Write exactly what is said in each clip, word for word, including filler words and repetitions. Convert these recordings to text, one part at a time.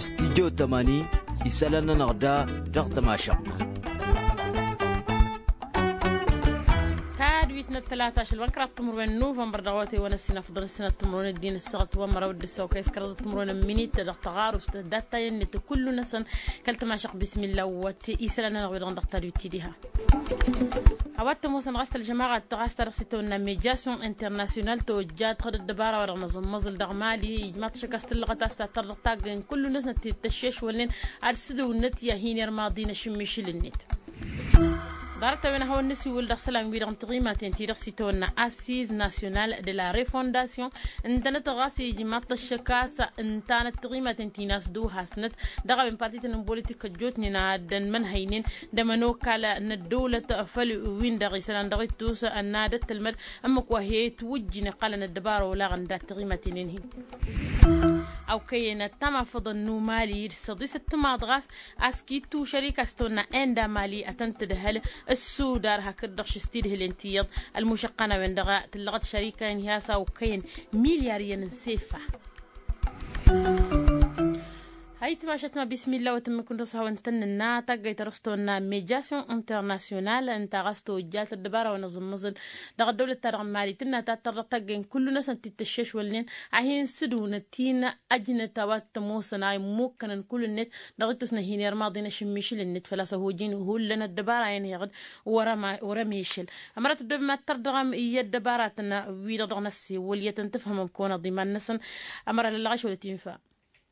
Studyo tămani isălan-nănăɣ da dăɣ-tămašăɣt. Tadwit n-ăttălata ašăl wa n-kăraḍ timǝrwen n-nuvănbăr dăɣ-awătay wa n-ăssinafḍăn ăssinat timǝrwen ăddin ăssaɣăt wa n-măraw d-ǝssaw kăy-s kăraḍăt timǝrwen n-minit dăɣ-tăɣarust dat-ta i-ănnit kullu-năsăn kăl-tămašăɣt bismilla wăt isălan-nănăɣ wi-dăɣ n-dăɣ-tadwit ti-diha. A-wa t-ămoosăn ɣas tălžămaɣăt ɣas ta dăɣ-s itawănna medyasyon internasyonal tojjat ɣǝd ăddăbara wa dăɣ-năẓǝmmăẓǝl dăɣ-mali ijmaḍ-t šăkk a-s tǝllăɣăt a-s tattăr dăɣ-taggăyăn kullu-năsnăt ti tăššešwălnen ad-sǝdǝwnăt i-ad-hin-irmaḍin ašǝmmišǝl-net. Ḍarăt-a-wen a hawăn-nǝsiwǝl dăɣ-isălan-wi-dăɣ n-tiɣimaten ti dăɣ-s itawănna assiz nasyonal de la refondasyon ǝntănăt ɣas ijmaḍ-t ăššăk a-s ǝntanăt tiɣimaten ti n-asdăw hasnăt dăɣ-a-wen partităn n-bolitik ăjjootnen ad-ănmănhăynen d-ămănokal n-ăddăwlăt făll-win-dăɣ isălan dăɣ-ittus ănn ad-ăttălmăd ǝmmǝk wa he-twǝjjǝn iqqălăn ăddăbara olaɣăn dat-tiɣimaten-en-hi. Awkăyăn ăttamafăḍăn n-umali d-săḍisăt timaḍ ɣas a-s kittu šărika s-tăwănna enda mali ad-tăn-tǝdhăl ăssudar hakd-dăɣ šǝstidhǝlen ti iyyăḍ ălmušăqqan a-wen-dăɣ tǝllăɣăt šărika-en-hi a-s awkăyăn milyar iyyăn n-sefa. Hayt mašat ma bismilla wa tǝmmǝk n-dăɣ-s hawăn-tăn-nǝnna taggayt ta dăɣ-s tăwănna medyasyon internasyonal ǝnta ɣas tojjat ăddăbara wa n-aẓǝmmăẓǝl dăɣ-ăddăwlăt-ta-dăɣ n-mali tǝnna tattăr dăɣ-taggăyăn kullu-năsăn ti t-ăššešwălnen ad-hin-sǝdǝwnăt ti n-ăjnăt a-wa t-ămoosăn a immukănăn kull-net dăɣ-ittus n-ad-hin-irmaḍin ašǝmmišǝl-net făl-a-s ăhojin hullan ăddăbara-en heɣ-dd wăr-ămešăl. Ămăra tăddoobem ad-tărdăɣăm i-ăddăbaratăn wi-dăɣ dăɣ-năssewăl i-ad-tăn-tǝfhămăm kăwăn-aḍiman-năsăn. Ămăra lăllăɣ ašăl ătinfa.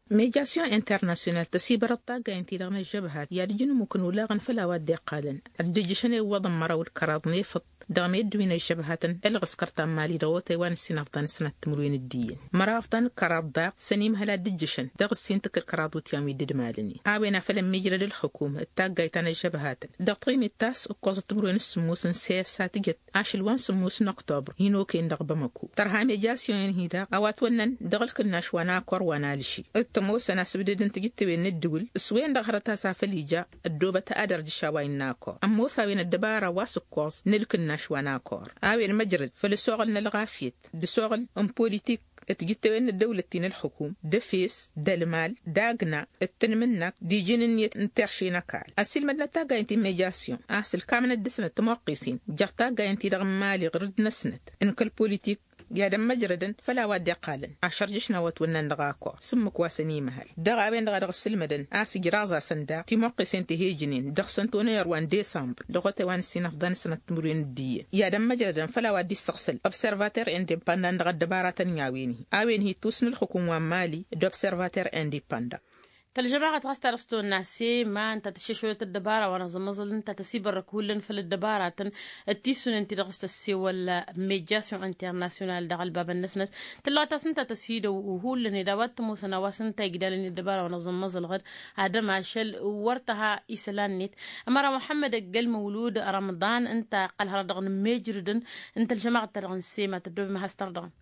Medyasyon internasyonal tăsibărăt taggayăn-ti-dăɣ n-ăžžăbhat i-ad-ǝjǝn ǝmmuk n-olaɣăn făll-a-wa dd-iqqalăn ad-dd-ǝjjǝšăn i-iwwăḍăn măraw d-kăraḍ n-efăḍ dăɣ-meddǝwin ăžžăbhatăn ălɣǝskăr ta n-mali dăɣ-otay wa n-ǝssin afḍăn d-sănat timǝrwen d-iyyăn. Măraw afḍăn d-kăraḍ daɣ s-ănimhăl ad-dd-ǝjjǝšăn dăɣ-ǝssin tǝkkǝl kăraḍ utyan wi dd-ǝmalăn-in a-wen a făl ămmiijrăd ǝlxǝkum d-taggayt ta n-ăžžăbhatăn dăɣ-tiɣimit ta s-ǝkkoẓăt timǝrwen s-sǝmmos n-seyăssa tǝjăt ašăl wa n-sǝmmos n-oktobr hin-okăyăn dăɣ-bamăko tărha medyasyon-en-hi daɣ a-wa ătwănnăn dăɣ-ǝlkǝnnaš wa n-akor wa n-alži d-tămoosăn asǝbdǝd n-tijǝttewen n-ǝddǝwǝl s-wen-dăɣ hărăt a-s afăl ija ăddoobăt ad-ărjǝš a-wa innă akor ămoos a-wen ăddăbara wa s-ǝkkoẓ n-ǝlkǝnnaš wa n-akor a-wen măjrăd făll-ăsoɣăl n-ălɣafyăt d-ăsoɣăl n-politik d-tijǝttewen n-ăddăwlăt ti n-ǝlxǝkum d-efes d-ălmal d-agna d-tanmǝnnakt d-iji n-ǝnniyăt n-terše n-ăkall ăssiilmădnăt taggayăn ti n-medyasyon a-s ǝlkamnăt dăɣ-snăt timoqqisen jer-taggayăn-ti-dăɣ n-imali ɣur-dd-năsnăt n-kăl-politik i-ad-ămmăjrădăn făll-a-wa dd-iqqalăn ašărjǝšna wa ătwănnan dăɣ-akor s-ǝmmǝk wa s-ănimăhăl dăɣ-a-wen-dăɣ a dăɣ-ăssǝlmădăn a-s ǝjraẓ-asăn daɣ timoqqisen ti he-ǝjǝnen dăɣ-săn tonăyăr wa n-desămbăr dăɣ-otay wa n-ǝssin afḍăn d-sănat timǝrwen d-iyyăn i-ad-ămmăjrădăn făll-a-wa dd-issăɣsăl observater indepăndan dăɣ-ăddăbaratăn n-a-wen-hi a-wen hi-ǝttus n-ǝlxǝkum wa n-mali d-observater indepăndan. Tălžămaɣăt ɣas ta dăɣ-s tăwănna sema ǝnta tăššešolăt ăddăbara wa n-aẓǝmmăẓǝl ǝnta tăsibărrăk hullan făll-ăddăbaratăn d-tisunen ti dăɣ-s tăssewăl medyasyon internasyonal dăɣ-ălbabăn-năsnăt tǝllăɣăt a-s ǝnta tăsidăw hullan ed a-wa t-ămoosăn a-wa s-ǝnta igdalăn i-ăddăbara wa n-aẓǝmmăẓǝl ɣǝd ad-ămašăl wăr tăha isălan-net. Ămăra muḥămmăd ăggăl măwlud rămḍan ǝnta iqqăl hărăt dăɣ-inǝmmejrǝdăn n-tălžămaɣăt-ta-dăɣ n-sema tăddoobem ad-has-tărdăɣăm.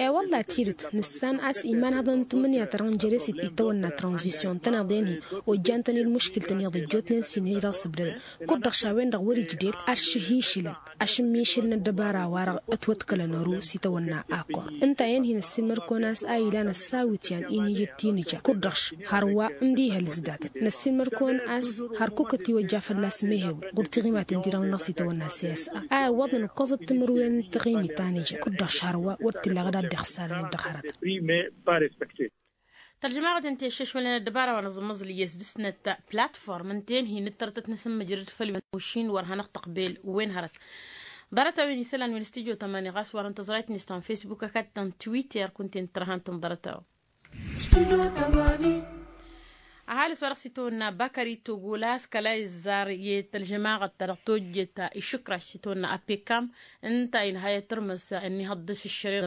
E-wălla tidǝt nǝssan a-s imanhăḍăn n-tǝmmǝnǝya ta dăɣ-nǝjăr i-s itawănna tranzisyon tăneḍen-hi ojjan-tăn-dd muškǝl-tăn iyyăḍ ăjjootnen s-inhǝj dăɣ-s ǝbdădăn kud-dăɣ šawen-dăɣ wăr-ijder ad-šăhišǝlăn ašǝmmišǝl n-ăddăbara-wa-dăɣ ătwăḍkălăn ăru s-itawănna akor ǝnta-en-hi năssiilmăd-kăwăn a-s a ilan ăssawǝtyan inhǝj d-tinǝja kud-dăɣ š-hărwa n-dihăl s-datăt năssiilmăd-kăwăn a-s hărkuk ătiwăjja fălla-s mehewǝl ɣur-tiɣimaten-ti-dăɣ-nănăɣ s-itawănna s-e-s a a iwwăḍăn ǝkkoẓăt timǝrwen n-tiɣimit ta n-ija kud-dăɣ šhărwa wăr t-illa ɣǝd ad-dd-iɣsarăn dd-hărăt. Tălžămaɣăt ǝnta i-ăššăšwălnen ăddăbara wa n-aẓǝmmăẓǝl iyyăs dăɣ-snăt platform ǝnta-en hin-ǝttărătăt n-asǝmmǝjrăd făll-wen ošin wăr hanăɣ-tăqbel wen hărăt. Ḍarăt-a-wen isălan wi n-studyo tămani ɣas wăr ǝntăẓrayt n-istan facebook ăkall-tăn twitter kunta-en tărha ǝntăn ḍarăt-a-wen. Ăhalǝs wa dăɣ-s itawănna bakări togolas kăla izzar i-tălžămaɣăt ta dăɣ-tojjet išǝkraš s-itawănna apekam ǝnta inhăyăt tărmǝs ănnihăḍ dăɣ-s ǝššăreɣ.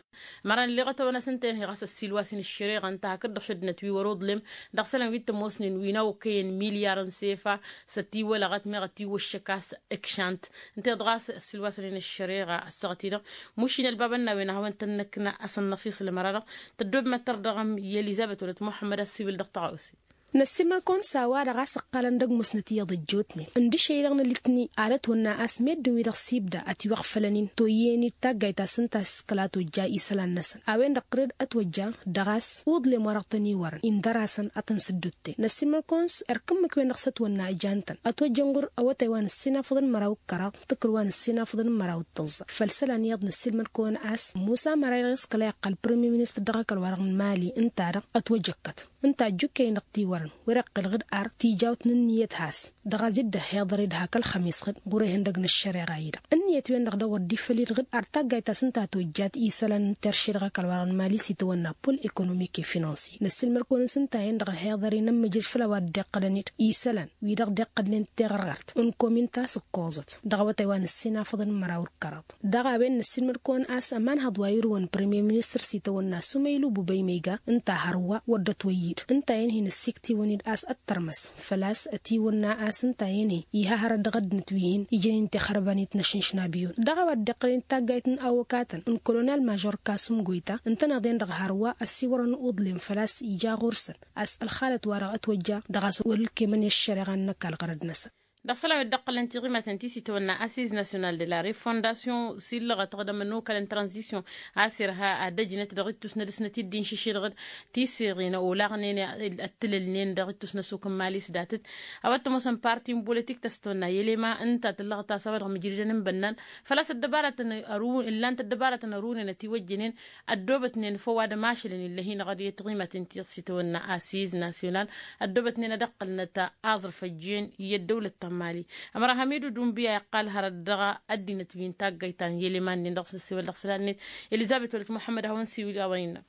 Măran ǝlleɣăt-awăn a-s ǝnta-en hi ɣas ăssiilwasen ǝššăreɣ ǝnta hakd-dăɣ šăddinăt wi wăr-uḍlem dăɣ-isălan wi t-ămoosnen wi n-a okăyăn milyar n-sefa s-ătiwălăɣăt meɣ ătiwăššăk a-s ǝkšant. Ǝnta-i-dăɣ a-s ăssiilwasen ǝššăreɣ ăssaɣăt-i-dăɣ mušin ălbabăn n-a-wen a hawăn-tăn-năkna a-s ănnăfiṣǝl ămăra-dăɣ tăddoobem ad-tărdăɣăm i-elizăbet wăla t-muḥămmăd ad-siwǝl dăɣ-tăɣawse. Năssiilmăr-kăwăn s-a-wa-dăɣ a-s ǝqqalăn dăgg-musnăt iyyăḍ ăjjootnen ǝndǝšăy-i-dăɣ n-alitni. Ad-ătwănna a-s meddǝn-wi-dăɣ s-ibda ătiwăɣfălăn-in toyyăn-dd taggayt ta s-ǝnta a-s kăla tojja isălan-năsăn a-wen-dăɣ ɣǝrǝd ătwăjja. Dăɣ-a-s uḍlem wa dăɣ-tăn-iwărăn-in dăr-asăn ad-tăn-sǝddut-ten năssiilmăr-kăwăn s-erk ǝmmǝk-wen-dăɣ s-ătwănna ǝjan-tăn ătwăjjăn ɣur-awătay wa n-ǝssin afăḍăn măraw d-kăraḍ tǝkrǝw wa n-ǝssin afăḍăn măraw d-tăẓẓa. Făll-isălan iyyăḍ năssiilmăr-kăwăn a-s musa măray-dăɣ s-kăla iqqăl premier ministăr dăɣ-ăkall wa dăɣ-n mali ǝnta-dăɣ ătwăjăkkăt ǝnta ăjjukkăyăn-dăɣ tiwărăn wăr-iqqǝl ɣǝd ar tijawt n-ǝnniyăt has-dăɣ a-s dd-ăhhiḍăr-dd hak ălxămiṣ-ɣǝd ɣur-ehăndăg n-ăššăreɣa-i-dăɣ ǝnniyăt-wen-dăɣ dăɣ-wăr dd-ifăl-dd ɣǝd ar taggayt ta s-ǝnta a tojjat isălan n-terše dăɣ-ăkall wa dăɣ-n mali s-itawănna pol ekonomik i-finansi. Năssiilmăr-kăwăn s-ǝnta-en-dăɣ ăhhiḍăr-in ămmǝjrǝd făll-a-wa dd-iqqălăn-dd isălan wi-dăɣ dd-iqqălnen teɣărɣart n-komin ta s-ǝkkoẓăt dăɣ-awătay wa n-ǝssin afăḍăn măraw d-kăraḍ. Dăɣ-a-wen năssiilmăd-kăwăn a-s ămanhăḍ wa irǝwăn premier ministăr s-itawănna sumaylu bubăy mega ǝnta hărwa wăr dd-ătwăyyǝd ǝnta-en hin-ăssiktǝwăn-dd a-s ăttărmăs făl-a-s ătiwănna a-s ǝnta-en-hi iha hărăt dăɣ-ăddinăt wi hin-ijăn-in tixărbănit n-ašǝnšna biyon. Dăɣ-a-wa dd-iqqălăn d-taggayt n-awăkatăn n-kolonel mažor kasum goyta ǝntăneḍ-en-dăɣ hărwa ăssiwărăn uḍlem făl-a-s ija ɣur-săn a-s ălxalăt-wa-dăɣ ătwăjja dăɣ-a-s wăr-ǝlkemăn i-ăššăreɣa n-ăkall ɣărăd-năsăn. Dăɣ-isălan wi dd-ăqqălăn tiɣimaten ti s-itawănna asiz nasyonal de la refondasyon s-illăɣăt ɣǝd ămănokal n-tranzisyon a-s irha ad-ăjnăt dăɣ-ittus n-ad-ǝsnăt-dd inšǝššǝdɣǝd tiseɣen olaɣnen ăttǝlălnen dăɣ-ittus n-ăsuk n-mali s-datăt. A-wa t-ămoosăn parti n-bolitik ta s-tawănna i-elema ǝnta tǝllăɣăt a-s a-wa dăɣ-mǝjridăn n-bănnan făl-a-s ăddăbaratăn ărun ǝllan-t ăddăbaratăn ărunăn ătiwăjjănen ăddoobătnen făw ad-ămašălăn illăh-in ɣăr i-tiɣimaten ti s-itawănna asiz nasyonal ăddoobătnen ad-ăqqălnăt aẓrǝf ăjjeen i-ăddăwlăt ta n-mali. Ămăra hamidu dunbiya iqqal hărăt dăɣ-ăddinăt wi n-taggayt ta n-yeleman-nin dăɣ-s năssiwăl dăɣ-isălan-net. Elizăbet wăla t-muḥămmăd a hawăn-siwǝl a-wa innă.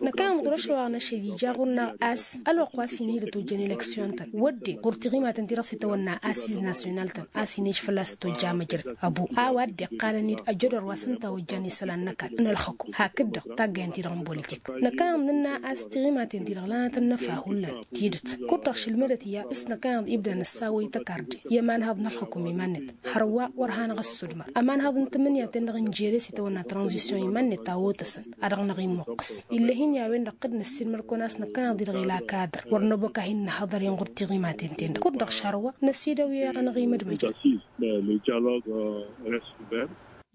Năkkăneḍ ɣur-ašăl wa n-ašăl ija ɣur-năɣ a-s ălwăqq wa s-hin-ija ătojjăn eleksyon-tăn wădden ɣur-tiɣimaten ti dăɣ-s itawănna asiz nasyonal-tăn a-s hin-ija fălla-s ătojja amăjrăd ăbu a-wa dd-iqqalăn-dd ăjădor wa s-ǝnta a ojjan isălan n-ăkall n-ălxǝkum hakd-dăɣ taggayăn-ti-dăɣ n-bolitik. Năkkăneḍ nǝnna a-s tiɣimaten-ti-dăɣ lanăt ănnăfa hullan tidǝt kud-dăɣ šǝlmădăt i-a s-năkkăneḍ ibda nǝssaw wa ităkarde i-ămanhăḍ n-ălxǝkum iman-net hărwa wăr hanăɣ-ăssudmăr ămanhăḍ n-tǝmmǝnǝya-ten-dăɣ n-jere s-itawănna tranzisyon iman-net a otăsăn ad-dăɣ-năɣ-imuqqǝs. Ill'-e-hin i-a-wen-dăɣ dd-năssiilmăr-kăwăn a-s năkkăneḍ-i-dăɣ ila kadăr wăr năbok a hin-nǝhhăḍăr-in ɣur-tiɣimaten-ten-dăɣ kud-dăɣ šarwa năsidăw i-anăɣ-imădmăjăn.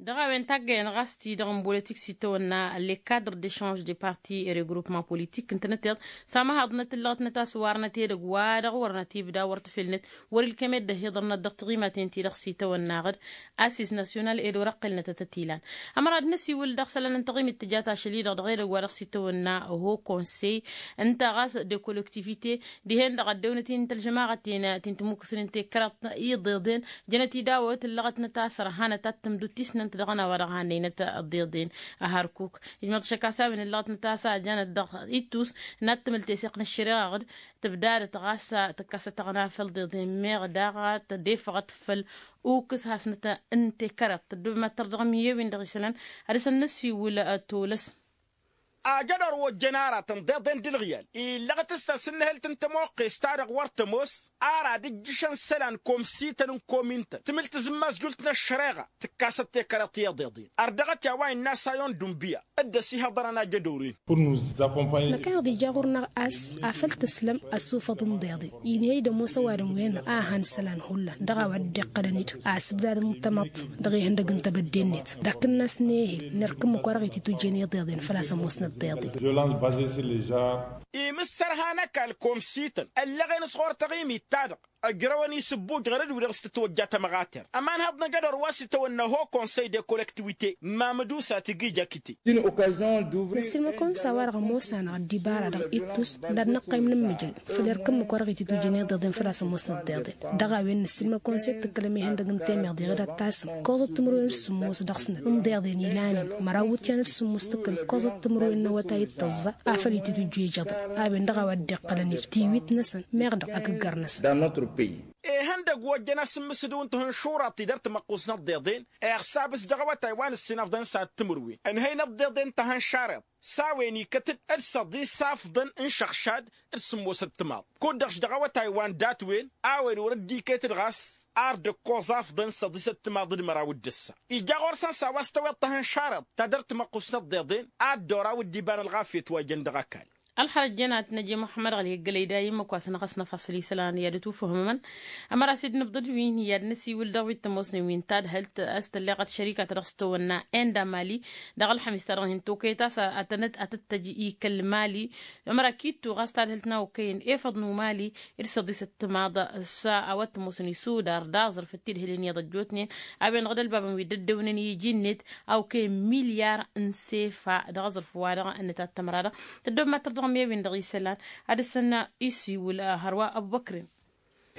Dăɣ-a-wen taggăyăn ɣas-ti-dăɣ n-bolitik s-itawănna le cadre d-echange de parti et regroupement politik ǝntănăteḍ s-amăhaḍnăt ǝllăɣătnăt a-s warnăt edăgg wa dăɣ-wărnăt ibda wăr tǝfelnăt wăr-ilkem ed ăhiḍărnăt dăɣ-tiɣimaten-ti-dăɣ s-itawănna ɣǝd asis nasyonal ed wăr-ăqqelnăt ad-tăt-ilan. Ămăra ad-năsiwǝl dăɣ-isălan n-taɣimit tǝjat ašăl-i-dăɣ dăɣ-edăgg wa dăɣ-s itawănna oho konsey ǝnta ɣas de kolektivite dihen-dăɣ ăddewnăt-in tălžămaɣăt-en ti n-timukǝsnin tekăraḍt iḍeḍen jănăt-i dawăt ǝllăɣătnăt a-s ărhanăt ad-tǝmdut tisnămt dăɣ-ănn a-wa-dăɣ hannăynăt ăḍḍeḍen. Ăharkuk ijmăḍ šăkasawin ǝllăɣătnăt a-s a janăt dăɣ-ittus n-ad-tǝmǝl teseɣt n-ăššăreɣa ɣǝd tǝbdadăt ɣas tǝkkăsăt taɣna făll-iḍeḍen meɣ daɣ tădefăɣăt făll-ukǝs hasnăt n-tekăraḍt tăddob mad-tărdăɣăm i-ewin dăɣ-isălan. Ad-dăr-săn năsiwǝl tolăs. Ajădor wa ojjăn aratăn d-iḍen d-ǝlɣiyal illăɣăt s-tasǝnnǝhǝlt n-tămoqqes-ta-dăɣ wăr tămoos ar ad-ǝjjǝšăn isălan komsităn n-komin-tăn tǝmǝl tǝzǝmmazjult n-ăššăreɣa tǝkkasăt tekăraḍt i-iḍeḍen. Ărdăɣăt i-a-wa innă sayon d-unbiya dd-ăsihăḍărăn ajădor-in. Năkăneḍ ija ɣur-năɣ a-s afăl tǝslăm ăsufăḍ n-iḍeḍen inhăy d-ămoos ăwadǝm-wen-dăɣ a ăhan isălan hullan dăɣ-a-wa dd-iqqălăn-dd a-s ǝbdadăn tămaḍt dăɣ-ihăndăg n-tebădde-net d-akǝnnas n-ehel n-erk ǝmmǝk wa dăɣ-ititujjen iḍeḍen făl-a-s ămoosnăt d-iḍen. Imǝssărha n-ăkall komsităn ăllăɣen s-ɣur-taɣimit-ta-dăɣ ăjrăwăn isǝbbuj ɣărăd wi-dăɣ s-tǝtwăjja tămɣatert ămanhăḍ n-ajădor wa s-itawănna ho konsăy de kolektiwite mamădusa tǝgǝy jakite. Năssiilmăd-kăwăn s-a-wa-dăɣ ămoos-anăɣ ăddibara dăɣ-ittus n-ad-năqqăym n-ǝmmǝjrǝd făll-erk ǝmmǝk wa dăɣ-ititujjăn iḍeḍen făl-a-s ămoosnăt d-iḍen. Dăɣ-a-wen năssiilmăd-kăwăn s-e d-tǝkkălăm ihăndăg n-temeḍe ɣǝd ad-tasǝm ǝkkoẓăt timǝrwen d-sǝmmos dăɣ-snăt n-iḍeḍen ilan-in măraw iwǝtyan d-sǝmmos tǝkkǝl ǝkkoẓăt timǝrwen n-awătay d-tăẓẓa. Afăl ititujju ijăḍăn a-wen dăɣ-a-wa dd-iqqălăn-dd tiwit-năsăn meɣ dăɣ-agǝggăr-năsăn. Ihăndăgg wa ojjăn asǝmmǝsǝdǝw n-tihǝnšuraḍt-i dăr-timăqqust n-ăḍḍeḍen iɣsabǝs dăɣ-awătay wa n-ǝssin afḍăn s-ad-timǝrwen ǝnhăy n-ăḍḍeḍen n-tihǝnšareḍt s-a-wen ikăt-dd d-săḍis afḍăn n-išăɣšad d-sǝmmosăt timaḍ kud-dăɣ s-dăɣ-awătay wa n-datwen a-wen wăr-dd-iket-dd ɣas ar dd-ǝkkoẓ afḍăn săḍisăt timaḍ d-măraw d-ǝssa. Ija ɣur-săn s-a-wa s-tăweḍ tihǝnšareḍt ta dăr-timăqqust n-ăḍḍeḍen ad-dd-oraw dd-iba n-ălɣafyăt wa jăn dăɣ-ăkall. Ălxărăt jănat năje muḥămmăd ɣăli ăggălăy dayǝm măkwasăn ɣas năfasăl isălan i-ad-ătufăhmămăn. Ămăra s-dd-nǝbḍǝd wi n-iyyăd năsiwǝl dăɣ-wi t-ămoosnen wi n-tadhǝlt a-s tălleɣăt šărika ta dăɣ-s tăwănna enda mali dăɣ-ălxămis ta dăɣ-hin-tokăyăt a-s ad-tănăt ad-tăt-tăj i-kăl-mali. Ămăra kittu ɣas tadhǝlt n-a okăyăn efăḍ n-umali d-săḍisăt timaḍ s-a-wa t-ămoosăn isudar d-aẓrǝf d-tidhǝlen iyyăḍ ăjjootnen a-wen-dăɣ d-ălbabăn wi dd-ăddewnen iji-net a okăyăn milyar n-sefa dăɣ-aẓrǝf-wa-dăɣ n-ătattămăra-dăɣ. Tăddob ma tărdăɣăm i-win-dăɣ isălan ad-dăr-săn isiwǝl hărwa ăbubăkrin.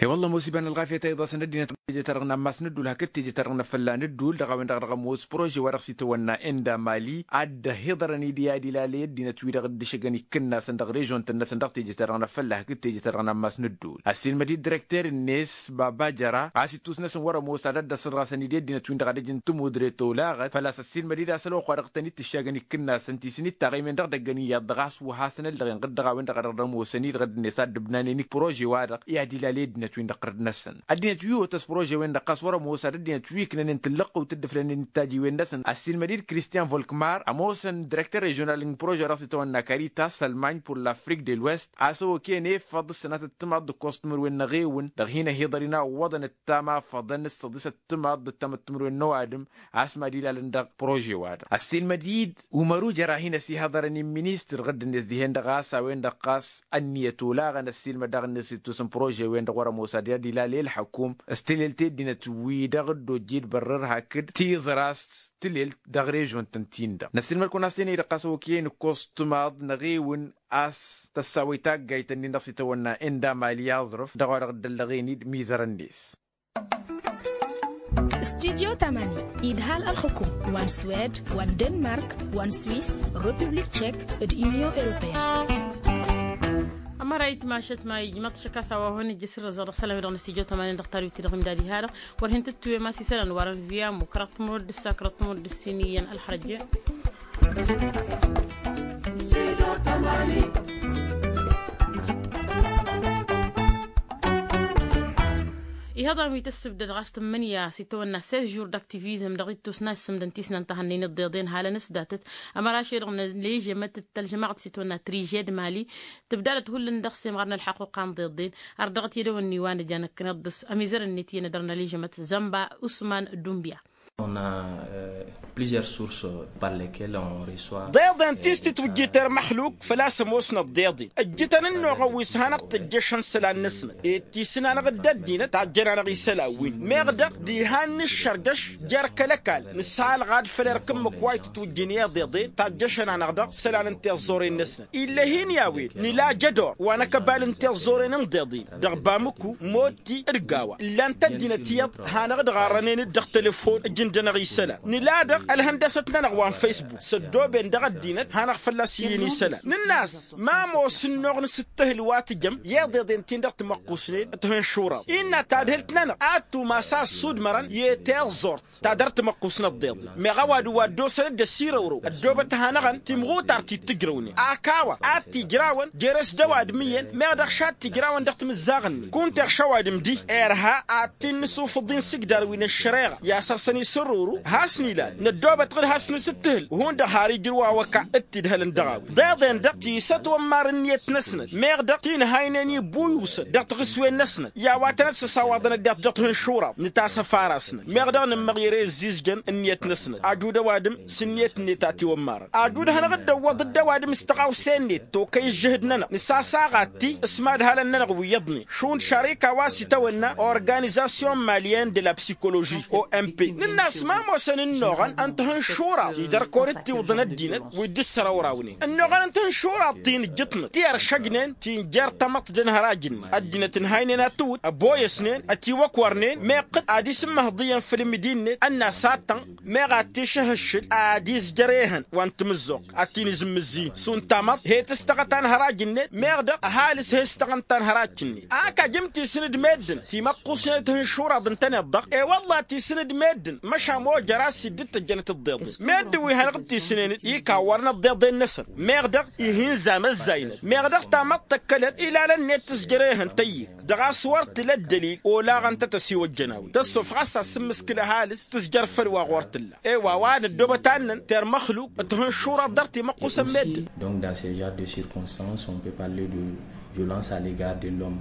I-wălla ămoos iba n-ălɣafyăt a iḍasăn ăddinăt teje-ta-dăɣ n-ammas n-ăddul hakd teje-ta-dăɣ n-afălla n-ăddul dăɣ-a-wen-dăɣ a dăɣ-ămoos prože wa dăɣ-s itawănna enda mali ad-dd-ăhiḍărăn-dd i-ad-ilalăy ăddinăt-wi-dăɣ dd-ǝšǝgăn ikǝnnasăn dăɣ-režon-tăn-năsăn dăɣ-teje-ta-dăɣ n-afălla hakd teje-ta-dăɣ n-ammas n-ăddul. Ăssiilmăd-dd direkter-net baba jăra a-s ittus-năsăn wăr-ămoos ad-ăddăsăḍ ɣasăn-dd i-ăddinăt-win-dăɣ ad-ăj n-tămudre tolaɣăt făl-a-s ăssiilmăd-dd a-s ălwăqq wa dăɣ-tăn-dd-tǝššagăn ikǝnnasăn ti s-in-ittaɣ i-men-dăɣ dăgg-ăniyyăḍ dăɣ-a-s wa hasăn-ăllăɣen ɣǝd dăɣ-a-wen-dăɣ a dăɣ-ămoosăn-dd ɣǝd-net ad-dd-ǝbnanen prože-wa-dăɣ i-ad-ilalăy ăddinăt-win-dăɣ ɣărd-năsăn. Ăddinăt wi otăs prože-wen-dăɣ ɣas wăr-ămoos ad-ăddinăt wi ǝknănen tǝllăqqǝw tǝddǝflănen d-tajiwen-năsăn ăssiilmăd-dd kristian volkmar ămoosăn direkter režional n-prože wa dăɣ-s itawănna karitas ălmany pur l-afrik de l-west a-s ăwăkăyăn efăḍ ǝssănatăt timaḍ d-ǝkkoẓ timǝrwen n-eɣewǝn dăɣ-hin-ăhiḍăr inawwăḍăn ǝttam afăḍăn d-săḍisăt timaḍ d-ǝttamăt timǝrwen n-ăwadǝm a-s mad-ilalăn dăɣ-prože-wa-dăɣ. Ăssiilmăd-dd umăru jer-a hin-ăsihăḍărăn i-ministăr ɣǝdd-net dihen-dăɣ a-s a-wen-dăɣ ɣas ănniyăt olaɣăn ăssiilmăd daɣ-net s-ittus n-prože-wen-dăɣ wăr-ămoos ad-ilalăy ălḥăkum s-tilelt i-ăddinăt-wi-dăɣ dd-ojjid bărrăr hakd tiẓra s-tilelt dăɣ-režon-tăn-tin-dăɣ năssiilmăd-kăwăn a-s tenăy-dăɣ ɣas ăwăkăyăn ǝkkoẓ timaḍ n-eɣewǝn a-s tăssaw i-taggayt-nin-dăɣ s-itawănna enda mali aẓrǝf dăɣ-wa-dăɣ dd-ăllăɣen-dd mizărăn-net. Studyo tamani idhal ălxǝkum wa n-swed wa n-denmark wa n-swiss, republik tchek, d-union europeyăn. Ămăra itmašăt ma ijmăḍ šăkk a-s a-wa hon ǝjjǝs irrăzăɣ dăɣ-isălan-wi-dăɣ n-studyo tamani dăɣ-tariwt-i-dăɣ imdad iha-dăɣ wăr hin-tǝttǝwem a-s isălan wăren via mukra tmurăd d-sakra tmurăd d-sin iyyăn ălxărăjje. Ihăḍan wi tǝssǝbdăd ɣas tǝmmǝnǝya s-itawănna seize jours d-aktivizm dăɣ-ittus n-ad-sǝmdăn tisnant ta hannăynet d-iḍeḍen halăn-s datăt. Ămăra ašăl-i-dăɣ n-ălležămăt d-tălžămaɣt s-itawănna trižed mali tǝbdadăt hullan dăɣ-semɣar n-ălḥăquqa n-iḍeḍen. Ar dăɣ-t i-dăwănni wa n-ăjanăkkăneḍ dăɣ-s ămizărăn-net iyyăn ad-dărăn ălležămăt zămba usman dumbya. On a plusieurs sources par lesquelles on reçoit. Deḍen ti s-titwǝjjit ermăxluk făl-a-s ămoosnăt deḍen ǝjjǝtăn ǝnnuɣăn wi s-hanăɣ-tǝjjăšăn isălan-năsnăt ed tisǝn-anăɣ dd-ăddinăt tajjăn-anăɣ isălan-win meɣ dăɣ-diha n-nǝššărdăš jer-kăl-ăkall nǝsalɣad făll-erk ǝmmǝk wa itǝtwǝjjǝn i-iḍeḍen tajjăšăn-anăɣ-dăɣ isălan n-tiẓẓoren-năsnăt. Ill'-e hin-i a-wen nǝla jădor wa n-akăbal n-tiẓẓoren n-iḍeḍen dăɣ-bamǝku motti d-gawa ǝllan-t ăddinăt iyyăḍ hanăɣ-dd-ɣarrănen-dd dăɣ-telefon ǝjǝnd-anăɣ isălan nǝla dăɣ-ălhăndăsăt-nănăɣ wa n-fesbuk s-ăddooben dăɣ-ăddinăt hanăɣ-fălla-s iyyăn isălan nǝnn'-as ma ămoos ǝnnuɣ n-asǝttǝhǝl wa tǝjăm i-iḍeḍen-tin-dăɣ timăqqusnen. Tihǝnšuraḍ innă tadhǝlt-nănăɣ ad-tumas a ăssudmărăn i-tiẓẓurt ta dăr-timăqqus n-ăḍḍeḍen meɣ ăwadǝm wa dd-osăn dd-ăsirăwrăw ăddoobăt hanăɣăn timɣutart ti t-ǝjrăwnen ak a-wa ad-t-ijrawăn jer-e-s d-ăwadǝm iyyăn meɣ dăɣ-š ad-t-ijrawăn dăɣ-timǝzzaɣ-nin kunta iɣš ăwadǝm diha irha ad-t-in-nǝsufǝḍ i-insǝjdar wi n-ăššăreɣa i-asăr-săn isǝrruru has-nilan năddoobăt ɣǝd has-nǝsǝttǝhǝl hundăɣ har ijrǝw awăka d-t-idhălăn dăɣ-a-wen deḍen-dăɣ tisăt wămmar ǝnniyăt-năsnăt meɣ dăɣ-tinhaynen ibbuyusăn dăɣ-tiɣǝswen-năsnăt i-a-wa tănăt-săsawaḍăn ăddat dăɣ-tihǝnšuraḍ n-tasăfara-snăt meɣ dăɣ-nǝmmăɣ ere ăzzizjăn ǝnniyăt-năsnăt ajud ăwadǝm s-ǝnniyăt-net a tiwămmarăn ajud hanăɣ-dd-ăwwăḍ d-ăwadǝm s-tăɣawse-net tokăy ǝžžǝhǝd-nănăɣ nǝsasaɣ ad-ti s-imadhalăn-nănăɣ wi iyyăḍnen šund šarika wa s-itawănna organizasyon malyen de la psikoloži o m p nǝnn'-as ma ămoosăn ǝnnuɣăn n-tihǝnšuraḍ ti dăr-kăwăn-dd-tiwǝḍăn ăddinăt wi dd-ǝssărăwrawnen ǝnnuɣăn n-tihǝnšuraḍ ti n-ǝjjǝṭnăt ti ăršăjnen ti n-jer-tamăḍt d-ănhăraj-ǝnnin ăddinăt ǝnhaynen ad-tǝwǝd ăboyăsnen ătiwăkwărnen meɣ qǝd ad-isǝmmăhăḍ iyyăn făll-imǝdi-net ănn'-as ad-tănɣ meɣ ad-t-išăhǝššǝl ad-izjăr ehăn wa n-timǝzzuɣt ad-t-in-izǝmmǝzzǝy šund tamăḍt he-tǝstăɣăt anhăraj-net meɣ dăɣ-ăhalǝs he-s tăɣăn tanhărajt-net ak ajǝm tisǝn d-meddǝn timăqqusnen d-tihǝnšuraḍ ǝntăneḍ-dăɣ e-wălla tisǝn d-meddǝn. Măšan ma ojăr-as-i dd-tăjjănăt ǝḍḍeḍen meddǝn wi hanăɣ-dd-isǝnenăt i-kawwărăn ǝḍḍeḍen-năsăn. Meɣ dăɣ-ihǝnza măzzaynet meɣ dăɣ-tamăḍt tăkkălăt ilalăn-net tǝzjăr ehăn tăyy-ik dăɣ-a-s wăr tǝla ăddălil olaɣăn-tăt ăsiwăjjăn a-wen tăssof ɣas asǝmmǝskǝl ăhalǝs tǝzjăr făll-wa ɣur-tǝlla. I-wa wa nǝddobăt annăn termăxluq t-ihǝnšurăḍ dăr-t imăqqusăn meddǝn. Donc dans ce genre de circonstance on peut parler de violence à l'egard de l'homme.